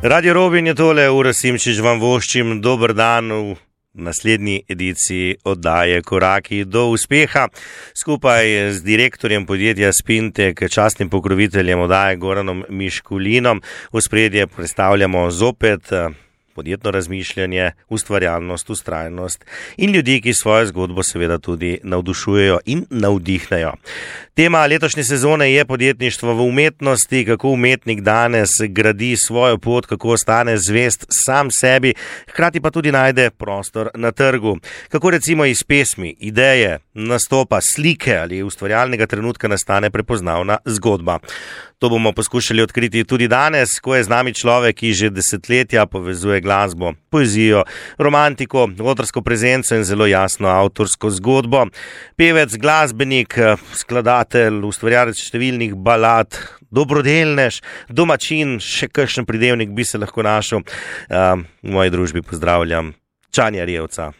Radio Robin je tole, Ura Simčič vam voščim, dober dan v naslednji ediciji oddaje Koraki do uspeha. Skupaj z direktorjem podjetja Spintek, častnim pokroviteljem oddaje Goranom Miškulinom, v spredje predstavljamo zopet podjetno razmišljanje, ustvarjalnost, ustrajnost in ljudi, ki svojo zgodbo seveda tudi navdušujejo in navdihnejo. Tema letošnje sezone je podjetništvo v umetnosti, kako umetnik danes gradi svojo pot, kako ostane zvest sam sebi, hkrati pa tudi najde prostor na trgu. Kako recimo iz pesmi, ideje, nastopa, slike ali ustvarjalnega trenutka nastane prepoznavna zgodba. To bomo poskušali odkriti tudi danes, ko je z nami človek, ki že desetletja povezuje glasbo, poezijo, romantiko, odrsko prezenco in zelo jasno avtorsko zgodbo. Pevec, glasbenik, skladatelj, ustvarjalec številnih balad, dobrodelnež, domačin, še kakšen pridevnik bi se lahko našel. V moji družbi pozdravljam Čanja Rjevca.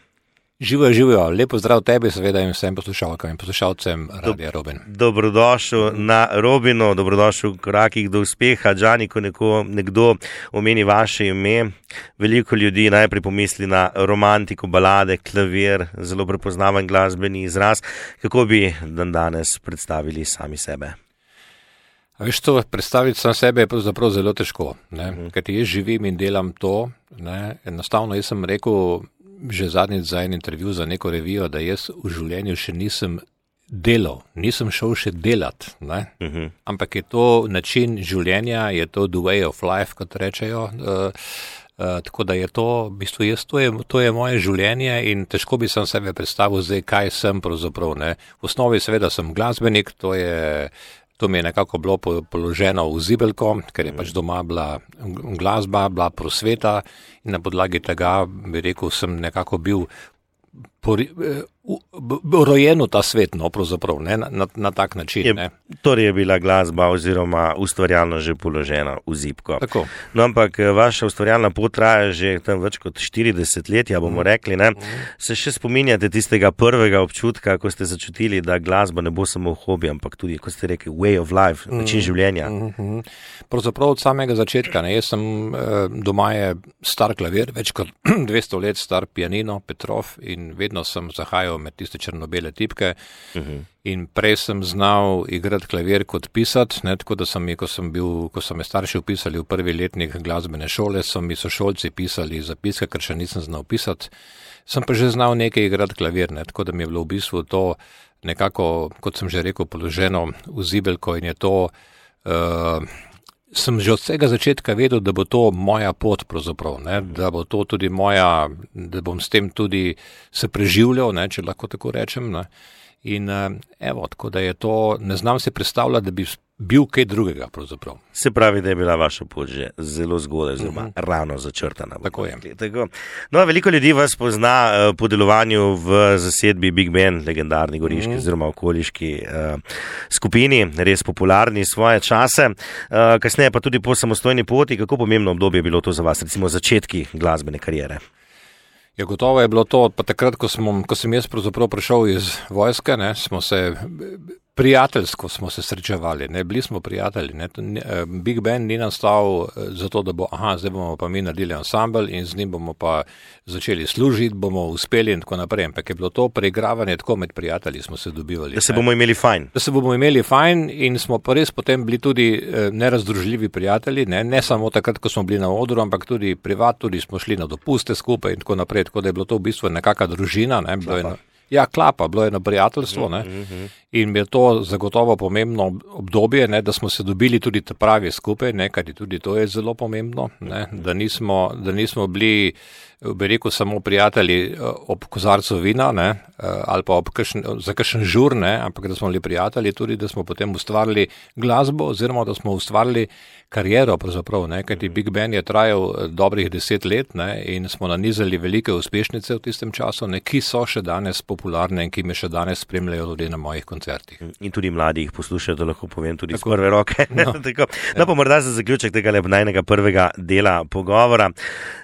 Živijo, lepo zdrav tebi, seveda in vsem poslušalkam in poslušalcem Radia Robin. Dobrodošel na Robinu, dobrodošel v Korakih do uspeha. Džani, ko nekdo omeni vaše ime, veliko ljudi najprej pomisli na romantiko, balade, klavir, zelo prepoznaven glasbeni izraz. Kako bi danes predstavili sami sebe? Veš to, predstaviti sam sebe je pravzaprav zelo težko, kajti jaz živim in delam to, enostavno jaz sem rekel, že zadnjič za en intervju za neko revijo, da jaz v življenju še nisem delal, nisem šel še delat, ampak je to način življenja, je to the way of life, kot rečejo, tako da je to, v bistvu to je moje življenje in težko bi sem sebe predstavil zdaj, kaj sem pravzaprav, V osnovi seveda sem glasbenik, to mi je nekako bilo položeno v zibelko, ker je pač doma bila glasba, bila prosveta in na podlagi tega, bi rekel, sem nekako bil rojen v ta svet, pravzaprav, na tak način. Torej je bila glasba oziroma ustvarjalno že položena v zibko. Tako. No, ampak vaša ustvarjalna pot traja že tam več kot 40 let, bomo rekli, Se še spominjate tistega prvega občutka, ko ste začutili, da glasba ne bo samo hobi, ampak tudi, kot ste rekli, way of life, način življenja? Pravzaprav od samega začetka, jaz sem, doma je star klavir, več kot 200 let star pianino, Petrov, in vedno sem zahajal med tiste črno-bele tipke in prej sem znal igrati klavir kot pisati, tako da ko so me starši vpisali v prvi letnik glasbene šole, so mi sošolci pisali zapiske, ker še nisem znal pisati, sem pa že znal nekaj igrati klavir, tako da mi je bilo v bistvu to nekako, kot sem že rekel, položeno v zibelko in je to sem že od vsega začetka vedel, da bo to moja pot pravzaprav, da bo to tudi moja, da bom s tem tudi se preživljal, če lahko tako rečem. In tako da je to, ne znam si predstavljati, da bi bil kaj drugega pravzaprav. Se pravi, da je bila vaša pot že zelo zgodaj, zelo ravno začrtana. Tako je. Tako. No, veliko ljudi vas pozna po delovanju v zasedbi Big Band, legendarni goriški oziroma okoliški skupini, res popularni svoje čase. Kasneje pa tudi po samostojni poti. Kako pomembno obdobje je bilo to za vas, recimo začetki glasbene kariere? Ja, gotovo je bilo to, pa takrat, ko sem jaz pravzaprav prišel iz vojske, prijateljsko smo se srečevali, bili smo prijatelji. Big Band ni nastal zato, da zdaj bomo pa mi naredili ansambl in z njim bomo pa začeli služiti, bomo uspeli in tako naprej. Ampak je bilo to preigravanje tako med prijatelji, smo se dobivali. Da se bomo imeli fajn. Da se bomo imeli fajn in smo pa res potem bili tudi nerazdružljivi prijatelji, ne samo takrat, ko smo bili na odru, ampak tudi privat, tudi smo šli na dopuste skupaj in tako naprej. Tako da je bilo to v bistvu nekakva družina, klapa, bilo je eno prijateljstvo, in je to zagotovo pomembno obdobje, da smo se dobili tudi pravi skupaj, kajti tudi to je zelo pomembno, da nismo bili, bi rekel, samo prijatelji ob kozarcu vina, ali pa za kakšen žur, ampak da smo bili prijatelji tudi, da smo potem ustvarili glasbo oziroma da smo ustvarili kariero pravzaprav, kajti Big Band je trajal dobrih 10 let, in smo nanizali velike uspešnice v tistem času, ki so še danes popularne in ki me še danes spremljajo tudi na mojih koncertih. In tudi mladi jih poslušajo, da lahko povem tudi tako, z prve roke. Pa morda za zaključek tega najnega prvega dela pogovora.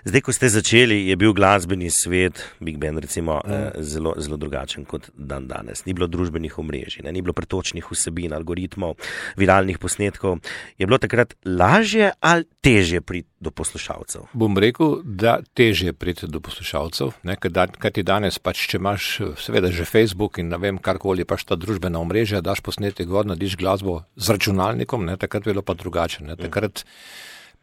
Zdaj, ko ste začeli, je bil glasbeni svet, Big Band recimo, zelo, zelo drugačen kot dan danes. Ni bilo družbenih omrežij, ni bilo pretočnih vsebin, algoritmov, viralnih posnetkov. Je bilo takrat lažje ali težje priti do poslušalcev? Bom rekel, da težje priti do poslušalcev, kaj ti danes pač, če imaš seveda že Facebook in ne vem karkoli, pač ta družbena omrežja, daš posnetek gor, nadiš glasbo z računalnikom, takrat je bilo pa drugače. Takrat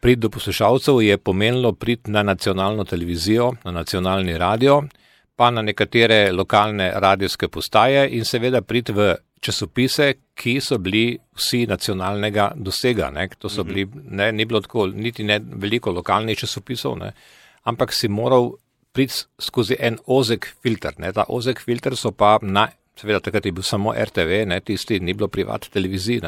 priti do poslušalcev je pomenilo priti na nacionalno televizijo, na nacionalni radio, pa na nekatere lokalne radijske postaje in seveda priti v časopise, ki so bili vsi nacionalnega dosega. To so bili, ni bilo tako, niti ne veliko lokalnih časopisov, ampak si moral priti skozi en ozek filter. Ta ozek filter so pa, seveda takrat je bil samo RTV, tisti, ni bilo privat televizij.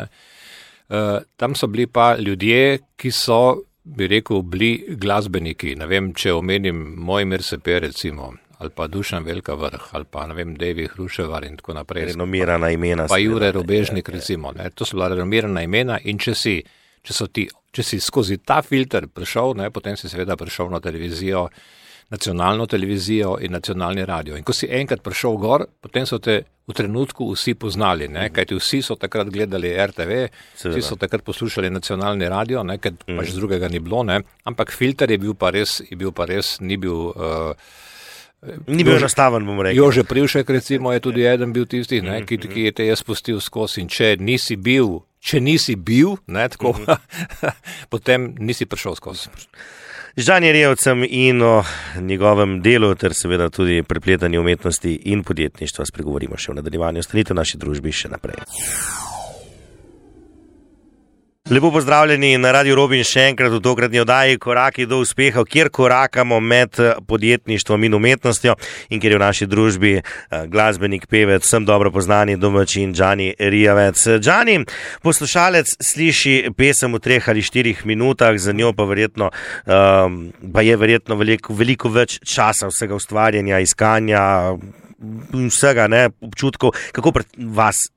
Tam so bili pa ljudje, ki so, bi rekel, bili glasbeniki. Ne vem, če omenim Mojmir Sepe recimo, ali pa Dušan Velika Vrh, ali pa, ne vem, Devi Hruševar in tako naprej. Renomirana imena. Pa Jure Robežnik, recimo. To so bila renomirana imena in če si skozi ta filter prišel, potem si seveda prišel na televizijo, nacionalno televizijo in nacionalni radio. In ko si enkrat prišel gor, potem so te v trenutku vsi poznali, kajti vsi so takrat gledali RTV, vsi so takrat poslušali nacionalni radio, ker pač drugega ni bilo, ampak filter je bil pa res, ni bil... Ni bil enostaven, bom rekel. Jože Privšek, recimo, je tudi eden bil tisti, ki je te jaz pustil skozi in če nisi bil, tako, potem nisi prišel skozi. Z Žanjem Rejevcem in o njegovem delu ter seveda tudi prepletanju umetnosti in podjetništva spregovorimo še v nadaljevanju. Ostanite v naši družbi še naprej. Lepo pozdravljeni na Radio Robin še enkrat v tokratni oddaji Koraki do uspeha, kjer korakamo med podjetništvom in umetnostjo in kjer je v naši družbi glasbenik, pevec, vsem dobro poznani domačin Žani Rejevec. Žani, poslušalec sliši pesem v 3 ali 4 minutah, za njo pa je verjetno veliko več časa vsega ustvarjanja, iskanja, vsega, občutkov. Kako pri vas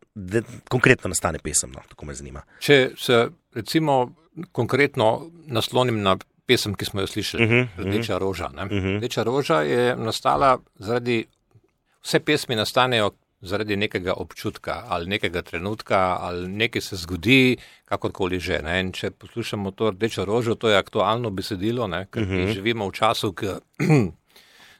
konkretno nastane pesem, tako me zanima. Če se recimo konkretno naslonim na pesem, ki smo jo slišali, Rdeča roža. Rdeča roža je nastala vse pesmi nastanejo zaradi nekega občutka ali nekega trenutka ali nekaj se zgodi, kakorkoli že. In če poslušamo to Rdečo rožo, to je aktualno besedilo, ker živimo v času,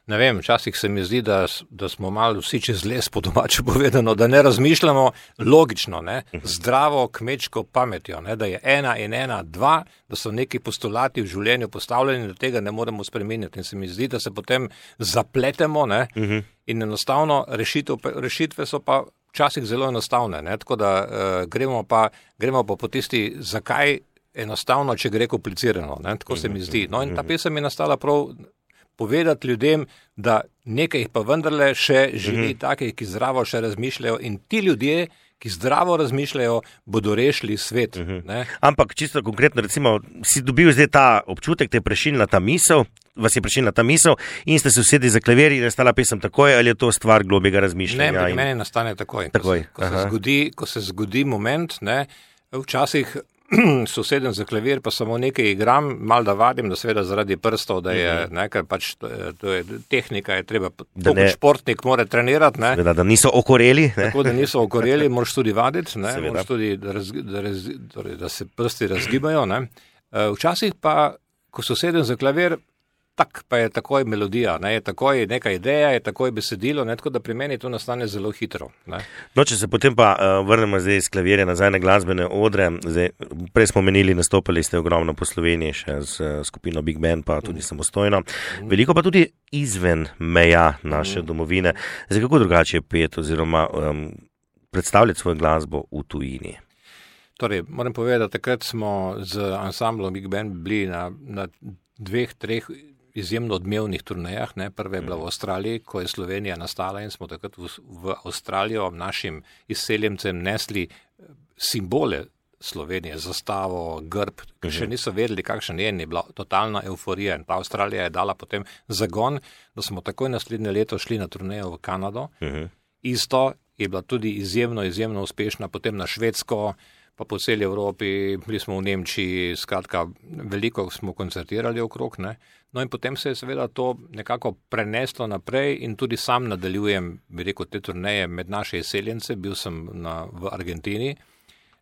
ne vem, včasih se mi zdi, da smo malo vsi čez les, po domače povedano, da ne razmišljamo logično, zdravo kmečko pametjo, da je 1 in 1 2, da so neki postulati v življenju postavljeni, da tega ne moremo spremeniti. In se mi zdi, da se potem zapletemo in enostavno rešitve so pa včasih zelo enostavne. Tako da gremo pa po tisti, zakaj enostavno, če gre komplicirano. Tako se mi zdi. No in ta pesem je nastala prav povedati ljudem, da nekaj jih pa vendarle še živi takih, ki zdravo še razmišljajo in ti ljudje, ki zdravo razmišljajo, bodo rešili svet. Ampak čisto konkretno, recimo, si dobil zdaj ta občutek, vas je prešinila ta misel in ste se usedli za klavir in je nastala pesem takoj, ali je to stvar globjega razmišljanja? Ne, meni nastane takoj. Ko se zgodi moment, včasih sosedem za klavir, pa samo nekaj igram, malo da vadim, da seveda zaradi prstov, da je, ker pač to je tehnika, je treba, kot športnik mora trenirati. Seveda, da niso okoreli. Tako, da niso okoreli, moraš tudi vaditi, moraš tudi, da se prsti razgibajo. Včasih pa, ko sosedem za klavir, pa je takoj melodija, je takoj neka ideja, je takoj besedilo, tako da pri meni to nastane zelo hitro. No, če se potem pa vrnemo zdaj iz klavirja nazaj na glasbene odre, prej smo menili, nastopali ste ogromno po Sloveniji, še z skupino Big Band, pa tudi samostojno, veliko pa tudi izven meja naše domovine. Zdaj, kako drugače je pet oziroma predstavljati svojo glasbo v tujini? Torej, moram povedati, da takrat smo z ansamblom Big Band bili na 2-3 izjemno odmevnih turnejah. Prva je bila v Avstraliji, ko je Slovenija nastala in smo takrat v Avstralijo našim izseljencem nesli simbole Slovenije, zastavo, grb, ki še niso vedeli, kakšen je bila totalna euforija. In ta Avstralija je dala potem zagon, da smo takoj naslednje leto šli na turnejo v Kanado isto, je bila tudi izjemno uspešna, potem na Švedsko, pa po celi Evropi, bili smo v Nemčiji, skratka, veliko smo koncertirali okrog, ne. No in potem se je seveda to nekako preneslo naprej in tudi sam nadaljujem, bi rekel, te turneje med naše izseljence, bil sem v Argentini,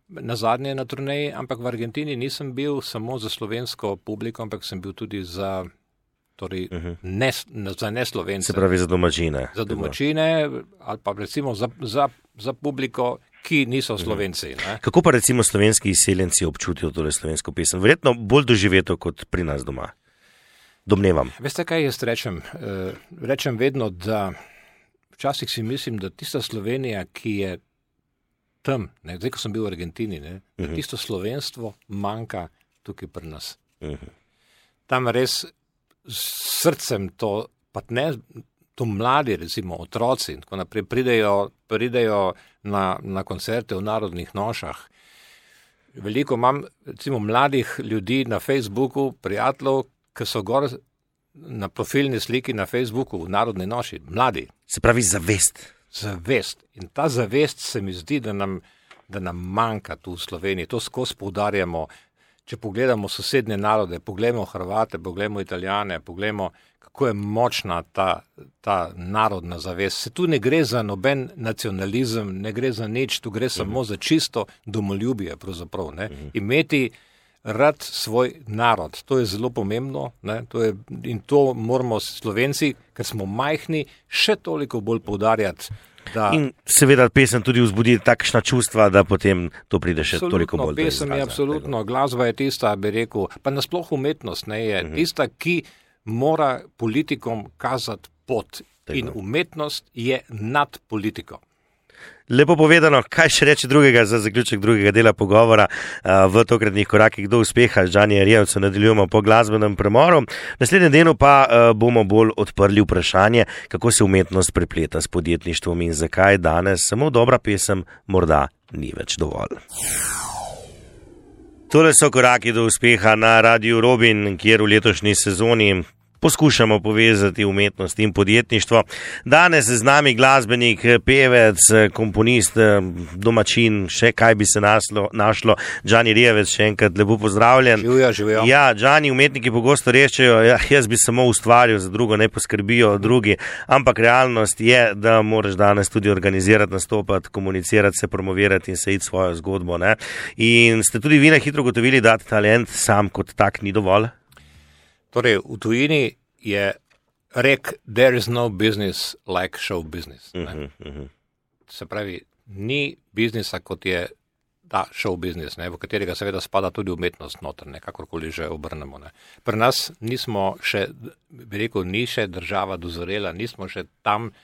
nazadnje na turneji, ampak v Argentini nisem bil samo za slovensko publiko, ampak sem bil tudi za neslovence. Se pravi za domačine. Za domačine ali pa recimo za publiko, ki niso Slovenci. Ne? Kako pa recimo slovenski izseljenci občutijo tole slovensko pesem? Verjetno bolj doživeto kot pri nas doma. Domnevam. Veste, kaj jaz rečem? Rečem vedno, da včasih si mislim, da tista Slovenija, ki je tam, ne, zdaj, ko sem bil v Argentini, ne, da tisto slovenstvo manjka tukaj pri nas. Tam res s srcem to, pa ne, to mladi, recimo otroci, tako naprej, pridejo na koncerte v Narodnih nošah. Veliko imam, recimo, mladih ljudi na Facebooku, prijateljev, ki so gor na profilni sliki na Facebooku v Narodni noši, mladi. Se pravi zavest. Zavest. In ta zavest se mi zdi, da nam manjka tu v Sloveniji. To skozi poudarjamo. Če pogledamo sosednje narode, pogledamo Hrvate, pogledamo Italijane, pogledamo, kako je močna ta narodna zavest. Se tu ne gre za noben nacionalizem, ne gre za nič, tu gre samo za čisto domoljubje pravzaprav. Ne? Imeti rad svoj narod, to je zelo pomembno, ne? In to moramo Slovenci, ker smo majhni, še toliko bolj poudarjati. In seveda pesem tudi vzbudi takšna čustva, da potem to pride še toliko bolj. Pesem je absolutno, glasba je tista, bi rekel, pa nasploh umetnost ne je tista, ki mora politikom kazati pot. In umetnost je nad politiko. Lepo povedano, kaj še reči drugega za zaključek drugega dela pogovora v tokratnih korakih do uspeha. Žani Rijevcu nadaljujemo po glasbenem premoru. V naslednjem delu pa bomo bolj odprli vprašanje, kako se umetnost prepleta s podjetništvom in zakaj danes samo dobra pesem morda ni več dovolj. Tole so koraki do uspeha na Radiu Robin, kjer v letošnji sezoni poskušamo povezati umetnost in podjetništvo. Danes z nami glasbenik, pevec, komponist, domačin, še kaj bi se našlo. Đani Rijevec, še enkrat lepo pozdravljen. Živijo. Ja, Đani, umetniki pogosto rečejo, jaz bi samo ustvaril, za drugo ne poskrbijo drugi, ampak realnost je, da moraš danes tudi organizirati, nastopati, komunicirati, se promovirati in se iti svojo zgodbo. Ne? In ste tudi vi na hitro gotovili, da talent sam kot tak ni dovolj? Torej, v tujini je rek, there is no business like show business. Se pravi, ni biznisa, kot je ta show business, ne, v katerega seveda spada tudi umetnost noter, ne, kakorkoli že obrnemo. Ne. Pri nas nismo še, bi rekel, ni še država dozorela, nismo še tam,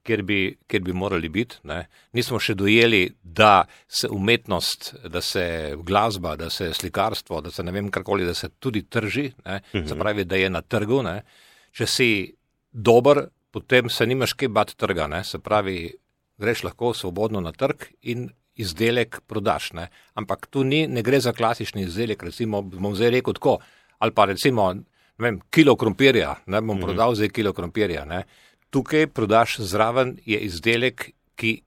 kjer bi morali biti. Ne. Nismo še dojeli, da se umetnost, da se glasba, da se slikarstvo, da se ne vem karkoli, da se tudi trži, ne. Se pravi, da je na trgu. Ne. Če si dober, potem se nimaš kaj bati trga. Ne. Se pravi, greš lahko svobodno na trg in izdelek prodaš. Ne. Ampak tu ne gre za klasični izdelek, recimo, bom zdaj rekel tako, ali pa recimo, ne vem, kilo krompirja, ne bom prodal zdaj kilo krompirja, ne. Tukaj prodaš zraven je izdelek, ki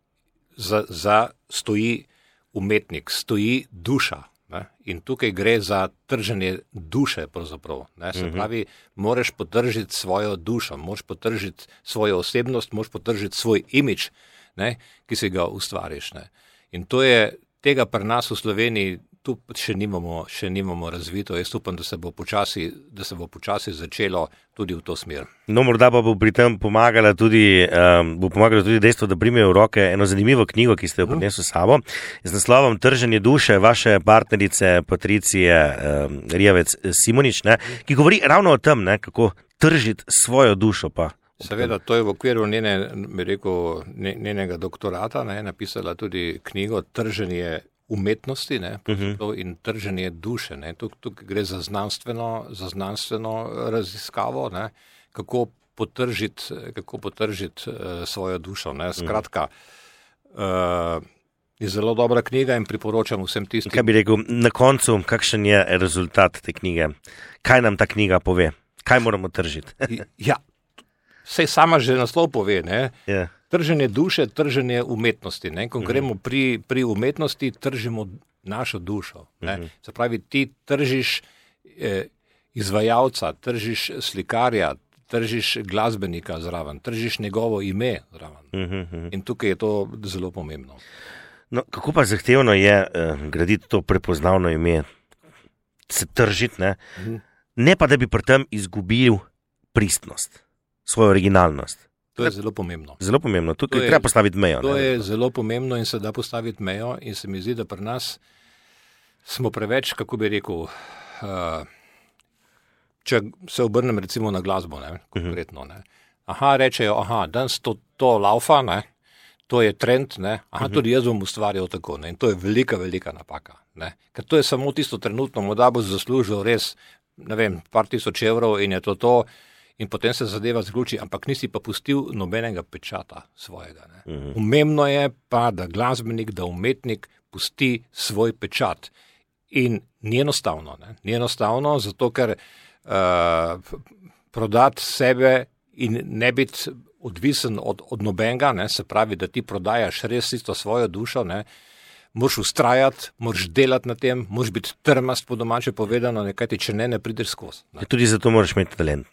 stoji umetnik, stoji duša. Ne? In tukaj gre za trženje duše pravzaprav. Ne? Se pravi, moraš potržiti svojo dušo, moraš potržiti svojo osebnost, moraš potržiti svoj imidž, ne? Ki si ga ustvariš. Ne? In to je tega pri nas v Sloveniji, tu še nimamo razvito. Jaz upam, da se bo počasi začelo tudi v to smer. No, morda pa bo pri tem pomagalo tudi dejstvo, da primejo v roke eno zanimivo knjigo, ki ste jo prinesli s sabo, z naslovom Trženje duše vaše partnerice Patricije Rijevec Simonič, ne, ki govori ravno o tem, ne, kako tržiti svojo dušo pa. Seveda, to je v okviru njenega doktorata, ne, napisala tudi knjigo Trženje umetnosti, ne, in trženje duše. Ne. Tukaj gre za znanstveno raziskavo, ne, kako potržiti svojo dušo. Ne. Skratka, je zelo dobra knjiga in priporočam vsem tistim. Kaj bi rekel, na koncu, kakšen je rezultat te knjige? Kaj nam ta knjiga pove? Kaj moramo tržiti? Ja, sej sama že naslov pove, ne. Yeah. Trženje duše, trženje umetnosti. Ne? Ko gremo pri umetnosti, tržimo našo dušo. Ne? Se pravi, ti tržiš izvajalca, tržiš slikarja, tržiš glasbenika zraven, tržiš njegovo ime zraven. In tukaj je to zelo pomembno. No, kako pa zahtevno je graditi to prepoznavno ime, se tržiti, ne pa da bi pri tem izgubil pristnost, svojo originalnost. To je zelo pomembno. Zelo pomembno, tukaj treba postaviti mejo. To je zelo pomembno in se da postaviti mejo in se mi zdi, da pri nas smo preveč, kako bi rekel, če se obrnem recimo na glasbo, konkretno. Rečejo, danes to laufa, to je trend, tudi jaz bom ustvarjal tako. In to je velika, velika napaka. Ker to je samo tisto trenutno, morda bo zaslužil res, par tisoč evrov in je to. In potem se zadeva zaključi, ampak nisi pa pustil nobenega pečata svojega. Pomembno je pa, da glasbenik, da umetnik pusti svoj pečat. In ni enostavno. Ni enostavno, zato ker prodati sebe in ne biti odvisen od nobenega, se pravi, da ti prodajaš res isto svojo dušo, moraš ustrajati, moraš delati na tem, moraš biti trmast, po domače povedano, kajti če ne prideš skozi. Tudi zato moraš imeti talent.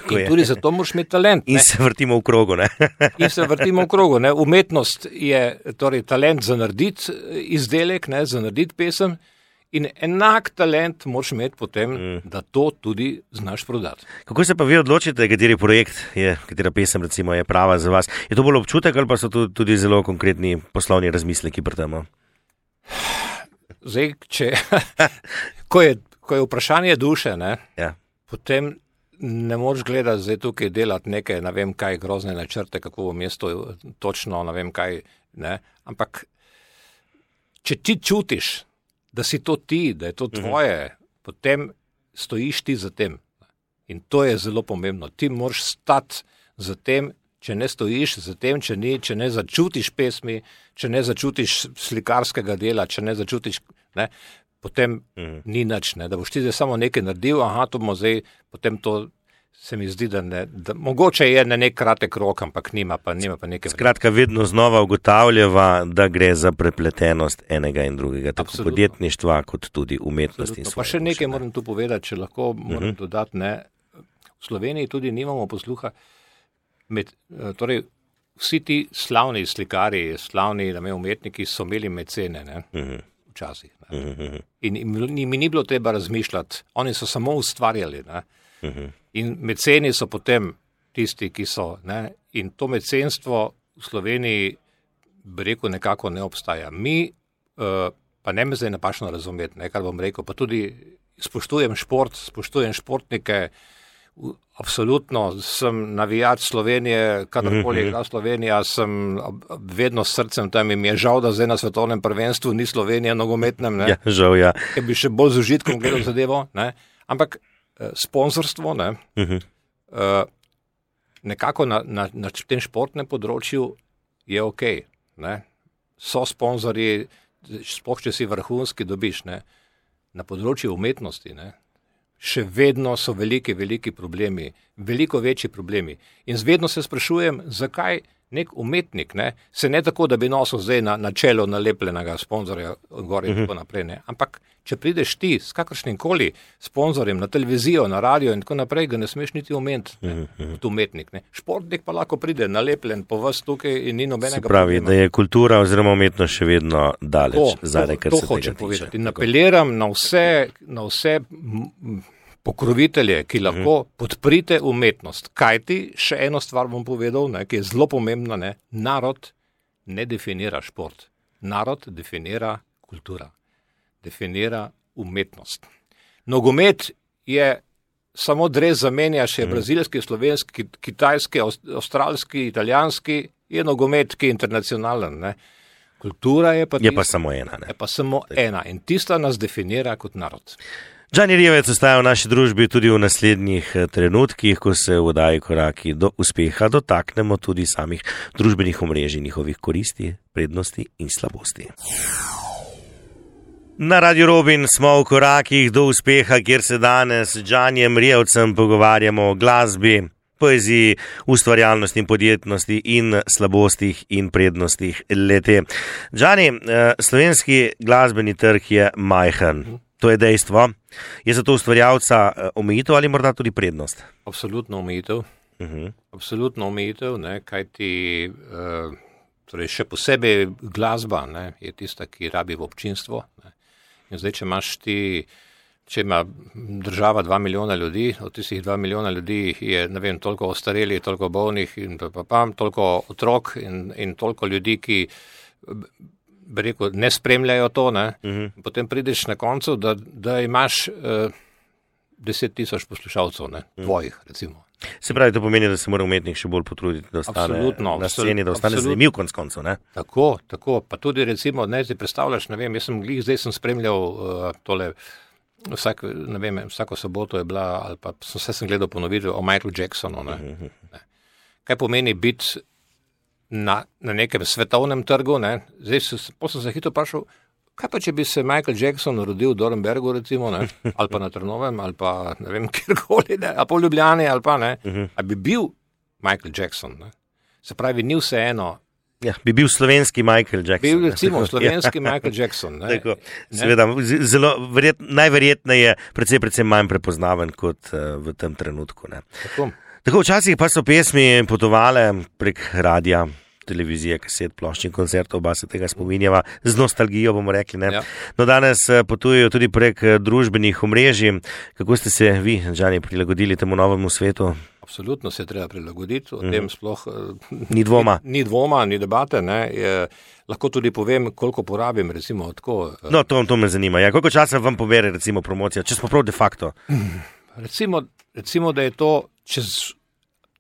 Tudi zato moraš imeti talent. In se vrtimo v krogu. In se vrtimo v krogu. Umetnost je torej talent za narediti izdelek, za narediti pesem in enak talent moraš imeti potem, da to tudi znaš prodati. Kako se pa vi odločite, kateri projekt je, katera pesem recimo je prava za vas? Je to bolj občutek ali pa so tudi zelo konkretni poslovni razmisleki pri tem? Zdaj, ko je vprašanje duše, potem ne moreš gledati zdaj tukaj delati neke, ne vem kaj, grozne načrte, kako bo mesto točno, ne vem kaj, ampak če ti čutiš, da si to ti, da je to tvoje, potem stojiš ti za tem. In to je zelo pomembno. Ti moraš stati za tem, če ne stojiš za tem, če ne začutiš pesmi, če ne začutiš slikarskega dela, če ne začutiš, potem ni nič. Da boš ti zdaj samo nekaj naredil, to bomo zdaj, potem to se mi zdi, da mogoče je na nek kratek rok, ampak nima pa nekaj. Skratka, vedno znova ugotavljava, da gre za prepletenost enega in drugega, tako podjetništva, kot tudi umetnosti. Pa še nekaj moram tu povedati, če lahko moram dodati, v Sloveniji tudi nimamo posluha. Torej, vsi ti slavni slikari, slavni umetniki so imeli mecene, včasih. In mi ni bilo treba razmišljati, oni so samo ustvarjali. In meceni so potem tisti, ki so. In to mecenstvo v Sloveniji, bi rekel, nekako ne obstaja. Mi, pa ne me zdaj napačno razumeti, kar bom rekel, pa tudi spoštujem šport, spoštujem športnike, absolutno sem navijač Slovenije, kadarkoli igra Slovenija, sem vedno s srcem tam in mi je žal, da zdaj na svetovnem prvenstvu ni Slovenija nogometnem. Ja, žal, ja. Ker bi še bolj z užitkom gledal zadevo. Ampak sponzorstvo, nekako na tem športnem področju je okej. So sponzorji, sploh če si vrhunski, dobiš. Na področju umetnosti, še vedno so veliki problemi, veliko večji problemi. In vedno se sprašujem, zakaj nek umetnik, se ne tako, da bi nosil zdaj na čelo nalepljenega sponzorja gor in tako naprej. Ampak, če prideš ti s kakršnim koli sponzorjem na televizijo, na radio in tako naprej, ga ne smeš niti omeniti kot umetnik. Športnik pa lahko pride nalepljen po vas tukaj in ni nobenega problema. Se pravi, da je kultura oziroma umetnost še vedno daleč zadaj, kar se tega tiče. To hočem povedati. In apeliram na vse pokrovitelje, ki lahko podprite umetnost. Kajti, še eno stvar bom povedal, ki je zelo pomembna, narod ne definira šport. Narod definira kultura. Definira umetnost. Nogomet je samo dres zamenjaš, je brazilski, slovenski, kitajski, avstralski, italijanski, je nogomet, ki je internacionalen. Kultura je pa samo ena. Je pa samo ena in tista nas definira kot narod. Đani Rijavec ostaja v naši družbi tudi v naslednjih trenutkih, ko se v oddaji Koraki do uspeha dotaknemo tudi samih družbenih omrežij, njihovih koristi, prednosti in slabosti. Na Radio Robin smo v korakih do uspeha, kjer se danes z Đanijem Rijavcem pogovarjamo o glasbi, poeziji, ustvarjalnosti in podjetnosti in slabostih in prednostih lete. Džani, slovenski glasbeni trg je majhen. To je dejstvo. Je za to ustvarjalca omejitev ali morda tudi prednost? Absolutno omejitev. Absolutno omejitev, kajti torej še posebej glasba je tista, ki rabi v občinstvo. In zdaj, če ima država 2 milijona ljudi, od tistih 2 milijona ljudi je, ne vem, toliko ostarelih, toliko bolnih in toliko otrok in toliko ljudi, ki bi rekel, ne spremljajo to, potem prideš na koncu, da imaš 10,000 poslušalcev, tvojih, recimo. Se pravi, to pomeni, da se mora umetnik še bolj potruditi, da ostane na sceni, da ostane zanimiv konec koncev, ne? Tako. Pa tudi recimo, si predstavljaš, ne vem, zdaj sem spremljal tole, vsako soboto je bila, ali pa sem gledal ponovitev o Michaelu Jacksonu, Kaj pomeni biti na nekem svetovnem trgu, Zdaj sem se hitro vprašal, kaj pa, če bi se Michael Jackson rodil v Dornbergu, recimo, ali pa na Trnovem, ali pa, ne vem, kjerkoli, ali pa v Ljubljani, ali pa, ali bi bil Michael Jackson, Se pravi, ni vseeno. Ja, bi bil slovenski Michael Jackson. Bil recimo slovenski Michael Jackson. Tako, seveda, najverjetneje precej manj prepoznaven kot v tem trenutku. Tako, včasih pa so pesmi potovale prek radia, televizije, kaset, plošč in koncertov, oba se tega spominjava, z nostalgijo bomo rekli. Ja. No, danes potujejo tudi prek družbenih omrežij. Kako ste se vi, Džani, prilagodili temu novemu svetu? Absolutno se treba prilagoditi, o tem sploh ni dvoma. Ni dvoma, ni debate. Lahko tudi povem, koliko porabim, recimo tako. No, to me zanima. Ja, koliko časa vam pobere, recimo, promocija, če smo prav de facto? Recimo, da je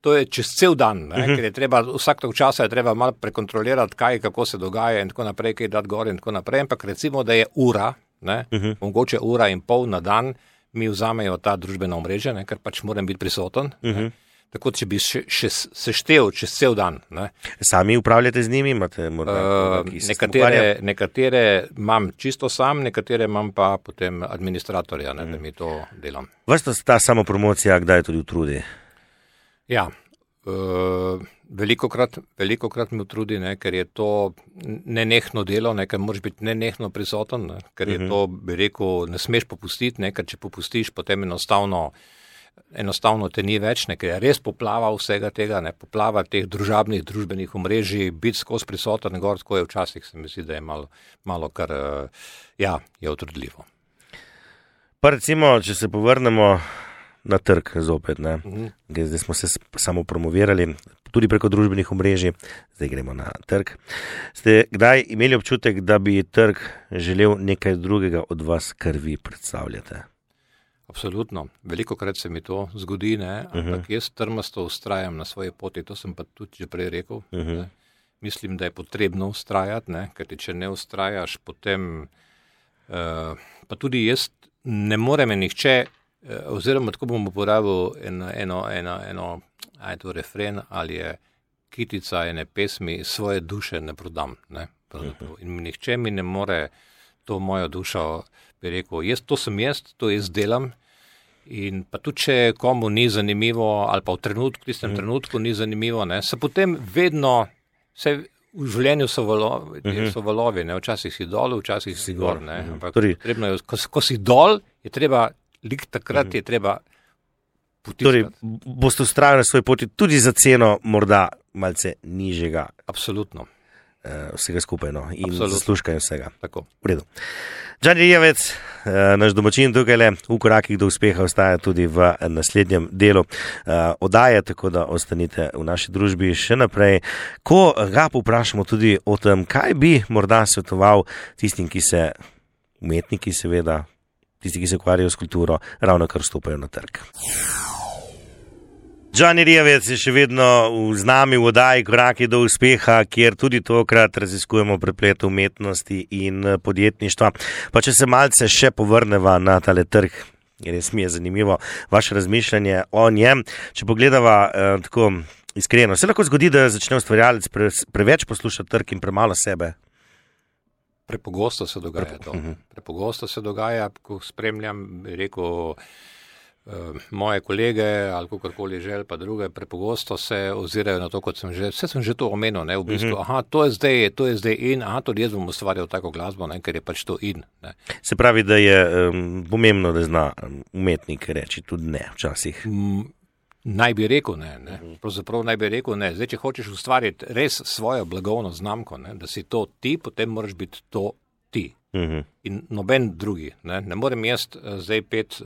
to je čez cel dan, ker je treba, vsak tog časa je treba malo prekontrolirati, kako se dogaja in tako naprej, kaj dati gor in tako naprej, ampak recimo, da je ura, mogoče 1,5 ure na dan, mi vzamejo ta družbena omrežja, ker pač moram biti prisoten. Tako, če bi še seštel čez cel dan. Sami upravljate z njimi? Imate morda nekatere imam čisto sam, nekatere imam pa potem administratorja, da mi to delam. Vas ta samopromocija kdaj tudi utrudi? Ja, velikokrat me utrudi, ker je to nenehno delo, ker moraš biti nenehno prisoten, ker je to, bi rekel, ne smeš popustiti, ker če popustiš, potem enostavno te ni več, ker je res poplava vsega tega, poplava teh družbenih omrežij, biti skozi prisoten, gor, tako je včasih, se mi zdi, da je malo kar, je utrudljivo. Pa recimo, če se povrnemo na trg zopet, Zdaj smo se samo promovirali, tudi preko družbenih omrežij, zdaj gremo na trg. Ste kdaj imeli občutek, da bi trg želel nekaj drugega od vas, kar vi predstavljate? Absolutno. Velikokrat se mi to zgodi, ampak jaz trmasto vztrajam na svoji poti, to sem pa tudi že prej rekel. Mislim, da je potrebno vztrajati, ker če ne vztrajaš, potem pa tudi jaz ne more me nihče, oziroma tako bom uporabil eno refren ali je kitica ene pesmi, svoje duše ne prodam. In nihče mi ne more to mojo dušo, bi rekel, to sem jaz, to jaz delam. In pa tudi, če komu ni zanimivo, ali pa v tistem trenutku ni zanimivo, se potem vedno, vse v življenju so valovi, včasih si dol, včasih si gor. Ampak potrebno je, ko si dol, je treba, takrat je treba potiskati. Torej, boste vztrajali na svoji poti tudi za ceno morda malce nižjega. Absolutno. Vsega skupaj, in zaslužka in vsega. Tako. V redu. Džani Rijavec, naš domačin tukaj v korakih do uspeha ostaja tudi v naslednjem delu oddaje, tako da ostanite v naši družbi še naprej. Ko ga povprašamo tudi o tem, kaj bi morda svetoval tistim, umetniki seveda, tisti, ki se ukvarjajo s kulturo, ravno kar vstopajo na trg. Džani Rijavec je še vedno z nami v oddaji Koraki do uspeha, kjer tudi tokrat raziskujemo preplet umetnosti in podjetništva. Pa če se malce še povrneva na tale trg, res mi je zanimivo vaše razmišljanje o njem. Če pogledava tako iskreno, se lahko zgodi, da začne ustvarjalec preveč poslušati trg in premalo sebe? Prepogosto se dogaja to. Prepogosto se dogaja, ko spremljam, bi rekel, moje kolege ali kakorkoli žel, pa druge, prepogosto se ozirajo na to, kot sem že to omenil, ne, v bistvu, to je zdaj in, tudi jaz bom ustvarjal tako glasbo, ne, ker je pač to in. Ne. Se pravi, da je pomembno, da zna umetnik reči tudi ne včasih. Naj bi rekel ne. Pravzaprav naj bi rekel ne. Zdaj, če hočeš ustvariti res svojo blagovno znamko, ne, da si to ti, potem moraš biti to ti. In noben drugi. Ne morem jaz zdaj pet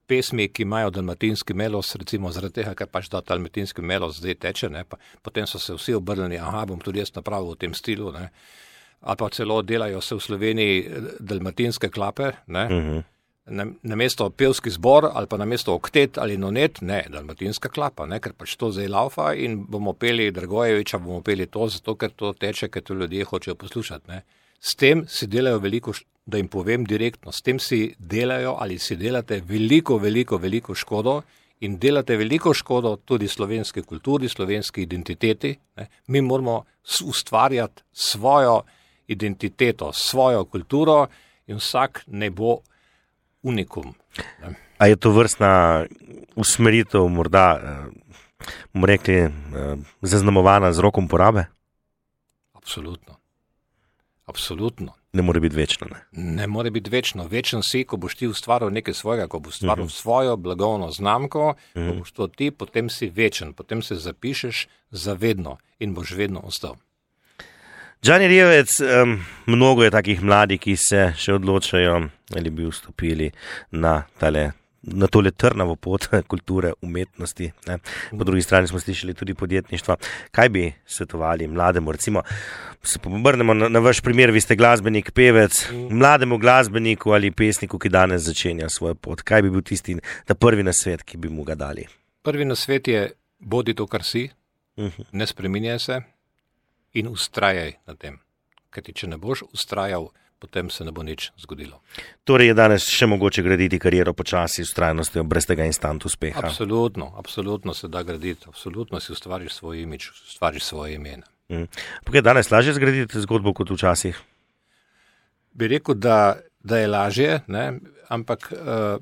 pesmi, ki imajo dalmatinski melos, recimo zaradi tega, ker pač da dalmatinski melos zdaj teče, ne, pa potem so se vsi obrnili, bom tudi jaz napravil v tem stilu, ne. Ali pa celo delajo se v Sloveniji dalmatinske klape, ne. Namesto pevski zbor ali pa namesto oktet ali nonet, ne, dalmatinska klapa, ne, ker pač to zdaj laufa in bomo peli Dragojeviča, bomo peli to, zato ker to teče, ker to ljudje hočejo poslušati, ne. S tem si delajo veliko, da jim povem direktno, s tem si delajo ali si delate veliko škodo in delate veliko škodo tudi slovenski kulturi, slovenski identiteti, ne. Mi moramo ustvarjati svojo identiteto, svojo kulturo in vsak ne bo unikum. Ne. A je to vrstna usmeritev morda, bomo rekli, zaznamovana z rokom porabe? Absolutno. Ne more biti večno, ne? Ne more biti večno. Večen si, ko boš ti ustvaril nekaj svojega, ko boš ustvaril svojo blagovno znamko, ko boš to ti, potem si večen, potem se zapišeš zavedno in boš vedno ostal. Đani Rijavec, mnogo je takih mladih, ki se še odločajo, ali bi vstopili na tole trnavo pot kulture, umetnosti. Ne. Po drugi strani smo slišali tudi podjetništva. Kaj bi svetovali mlademu, recimo, se obrnemo na vaš primer, vi ste glasbenik, pevec, mlademu glasbeniku ali pesniku, ki danes začenja svojo pot. Kaj bi bil tisti prvi nasvet, ki bi mu ga dali? Prvi nasvet je, bodi to, kar si, ne spreminjaj se in ustrajaj na tem. Kajti, če ne boš ustrajal, potem se ne bo nič zgodilo. Torej je danes še mogoče graditi kariero počasi, s trajnostjo, brez tega instant uspeha? Absolutno se da graditi. Absolutno si ustvariš svoj imidž, ustvariš svoje ime. Pa je danes lažje zgraditi zgodbo kot včasih? Bi rekel, da je lažje, ne? Ampak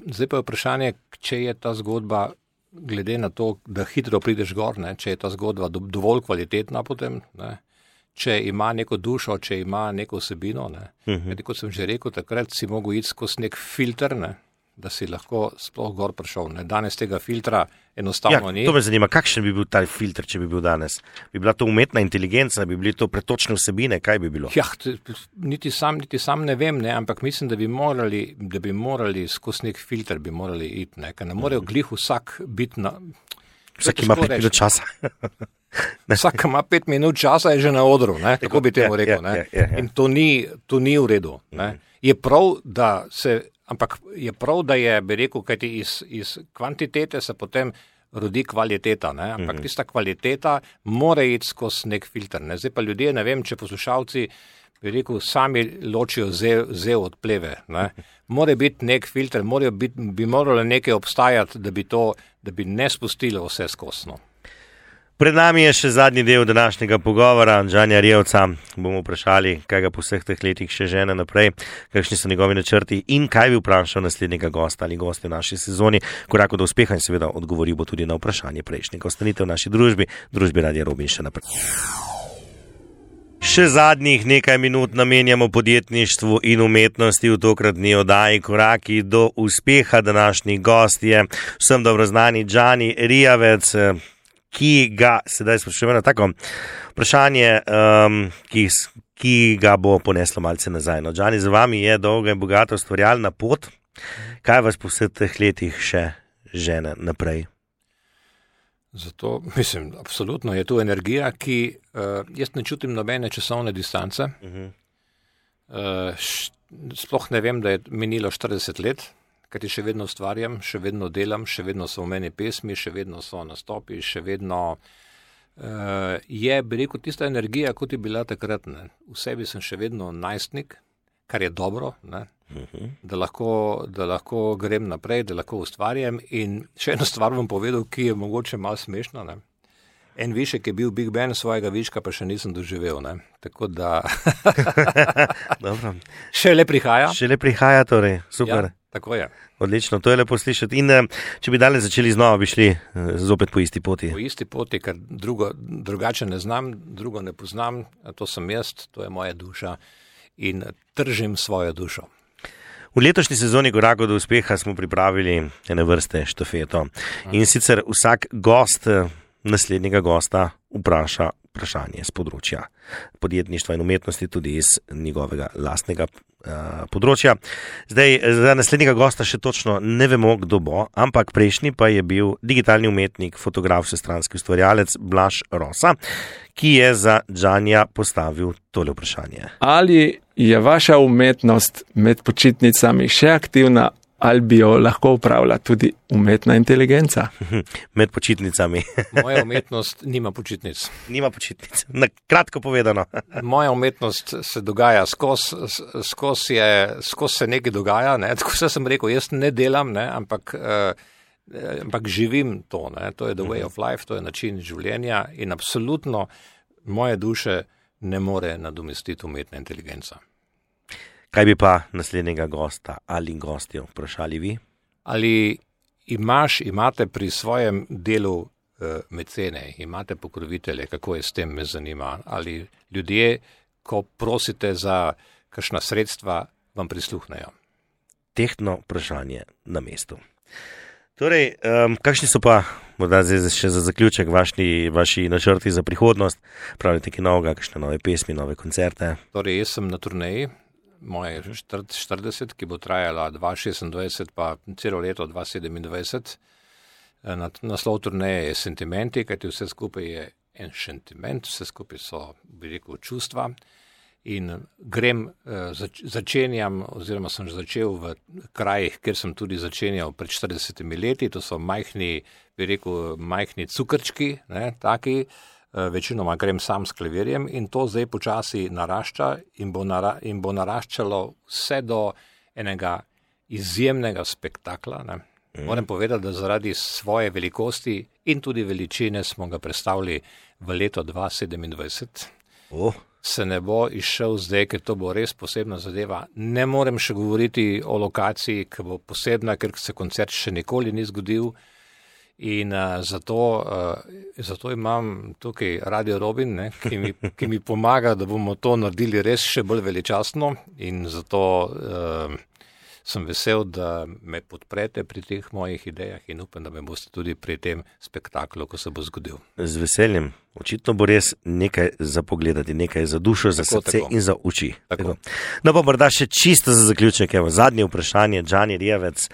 zdaj pa je vprašanje, če je ta zgodba, glede na to, da hitro prideš gor, ne? Če je ta zgodba dovolj kvalitetna potem, ne? Če ima neko dušo, če ima neko vsebino. Kot sem že rekel, takrat si mogel iti skozi nek filter, ne? Da si lahko sploh gor prišel. Ne? Danes tega filtra enostavno ni. To me zanima, kakšen bi bil ta filter, če bi bil danes? Bi bila to umetna inteligenca, bi bili to pretočne vsebine, kaj bi bilo? Niti sam ne vem, ne? Ampak mislim, da bi morali skozi nek filter bi morali iti, ne? Ker ne morejo glih vsak biti na... Vsak ima 5 minut časa. Vsak ima 5 minut časa, je že na odru, ne? Tako bi temu rekel. Ne? In to ni v redu. Ne? Je prav, da je, bi rekel, kajti iz kvantitete se potem rodi kvaliteta, ne? Ampak tista kvaliteta mora iti skozi nek filter. Ne? Zdaj pa ljudje, ne vem, če poslušalci, bi rekel, sami ločijo zev od pleve. Ne? Mora biti nek filter, bi moralo nekaj obstajati, da bi ne spustilo vse skosno. Pred nami je še zadnji del današnjega pogovora. Đanija Rijavca bomo vprašali, kaj ga po vseh teh letih še žene naprej, kakšni so njegovi načrti in kaj bi vprašal naslednjega gosta ali goste v naši sezoni, koraku do uspeha, in seveda odgovoril bo tudi na vprašanje prejšnjega. Ostanite v naši družbi Radia Robin še naprej. Še zadnjih nekaj minut namenjamo podjetništvu in umetnosti v tokratni oddaji Koraki do uspeha. Današnji gost je vsem dobro znani Đani Rijavec, ki ga sedaj sprašujemo na tako vprašanje, ki ga bo poneslo malce nazaj. No, Đani, za vami je dolga in bogata ustvarjalna pot. Kaj vas po vseh teh letih še žene naprej? Zato, mislim, absolutno je tu energija, ki jaz ne čutim nobene časovne distance. Sploh ne vem, da je minilo 40 let, kajti še vedno ustvarjam, še vedno delam, še vedno so v meni pesmi, še vedno so nastopi, še vedno je, bi rekel, tista energija, kot je bila takrat. Ne. V sebi sem še vedno najstnik, kar je dobro, ne. Da lahko grem naprej, da lahko ustvarjam. In še eno stvar bom povedal, ki je mogoče malo smešna. Ne. En višek je bil Big Ben, svojega viška pa še nisem doživel. Ne? Tako da še le prihaja. Še le prihaja, torej, super. Ja, tako je. Odlično, to je lepo slišati. In če bi danes začeli znova, bi šli zopet po isti poti. Po isti poti, ker drugače ne znam, drugo ne poznam, to sem jaz, to je moja duša in tržim svojo dušo. V letošnji sezoni Korakov do uspeha smo pripravili ene vrste štafeto. In sicer vsak gost naslednjega gosta vpraša vprašanje z področja podjetništva in umetnosti, tudi iz njegovega lastnega področja. Zdaj, za naslednjega gosta še točno ne vemo, kdo bo, ampak prejšnji pa je bil digitalni umetnik, fotograf, vsestranski ustvarjalec Blaž Rosa, ki je za Džanja postavil tole vprašanje. Ali je vaša umetnost med počitnicami še aktivna, ali bi jo lahko upravila tudi umetna inteligenca? Med počitnicami. Moja umetnost nima počitnic. Nima počitnic. Na kratko povedano. Moja umetnost se dogaja skozi se nekaj dogaja, ne? Tako sem rekel, jaz ne delam, ne? Ampak živim to, ne? To je the way of life, to je način življenja in absolutno moje duše ne more nadomestiti umetna inteligenca. Kaj bi pa naslednjega gosta ali gostjo vprašali vi? Ali imate pri svojem delu mecene, imate pokrovitelje, kako je s tem, me zanima? Ali ljudje, ko prosite za kakšna sredstva, vam prisluhnejo? Tehtno vprašanje na mestu. Torej, kakšni so pa, morda zdaj še za zaključek, vaši načrti za prihodnost? Pravite kaj novega, kakšne nove pesmi, nove koncerte? Torej, jaz sem na turneji. Moje 40, ki bo trajala 2026 pa celo leto 2027. Naslov turneje je Sentimenti, kajti vse skupaj je en sentiment, vse skupaj so, bi rekel, čustva. In začenjam, oziroma sem začel v krajih, kjer sem tudi začenjal pred 40 leti, to so majhni cukrčki, ne, taki. Večinoma grem sam s klavirjem in to zdaj počasi narašča in bo naraščalo vse do enega izjemnega spektakla. Ne. Moram povedati, da zaradi svoje velikosti in tudi veličine smo ga predstavili v leto 2027. Se ne bo izšel zdaj, ker to bo res posebna zadeva. Ne morem še govoriti o lokaciji, ki bo posebna, ker se koncert še nikoli ni zgodil. In zato imam tukaj Radio Robin, ne, ki mi pomaga, da bomo to naredili res še bolj veličastno in zato sem vesel, da me podprete pri teh mojih idejah in upam, da me boste tudi pri tem spektaklu, ko se bo zgodil. Z veseljem. Očitno bo res nekaj za pogledati, nekaj za dušo, za srce in za oči. Tako. No pa morda še čisto za zaključek, evo, zadnje vprašanje, Džani Rijavec.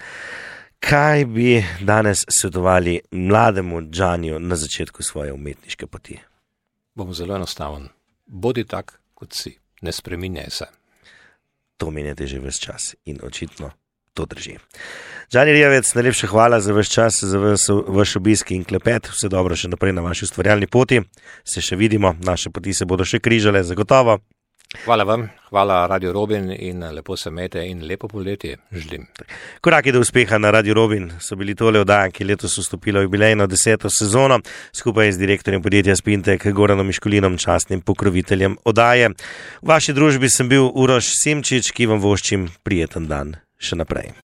Kaj bi danes svetovali mlademu Džaniju na začetku svoje umetniške poti? Bom zelo enostaven. Bodi tak, kot si. Ne spreminjaj se. To menjate že ves čas in očitno to drži. Džani Rijavec, najlepša hvala za vaš čas, za vaš obisk in klepet. Vse dobro še naprej na vaši ustvarjalni poti. Se še vidimo, naše poti se bodo še križale, zagotovo. Hvala vam, hvala Radio Robin in lepo se imejte in lepo poletje želim. Koraki do uspeha na Radio Robin so bili tole oddaje, ki letos vstopila v jubilejno 10. sezono, skupaj z direktorjem podjetja Spintek Goranom Miškulinom, častnim pokroviteljem oddaje. V vaši družbi sem bil Uroš Simčič, ki vam voščim prijeten dan še naprej.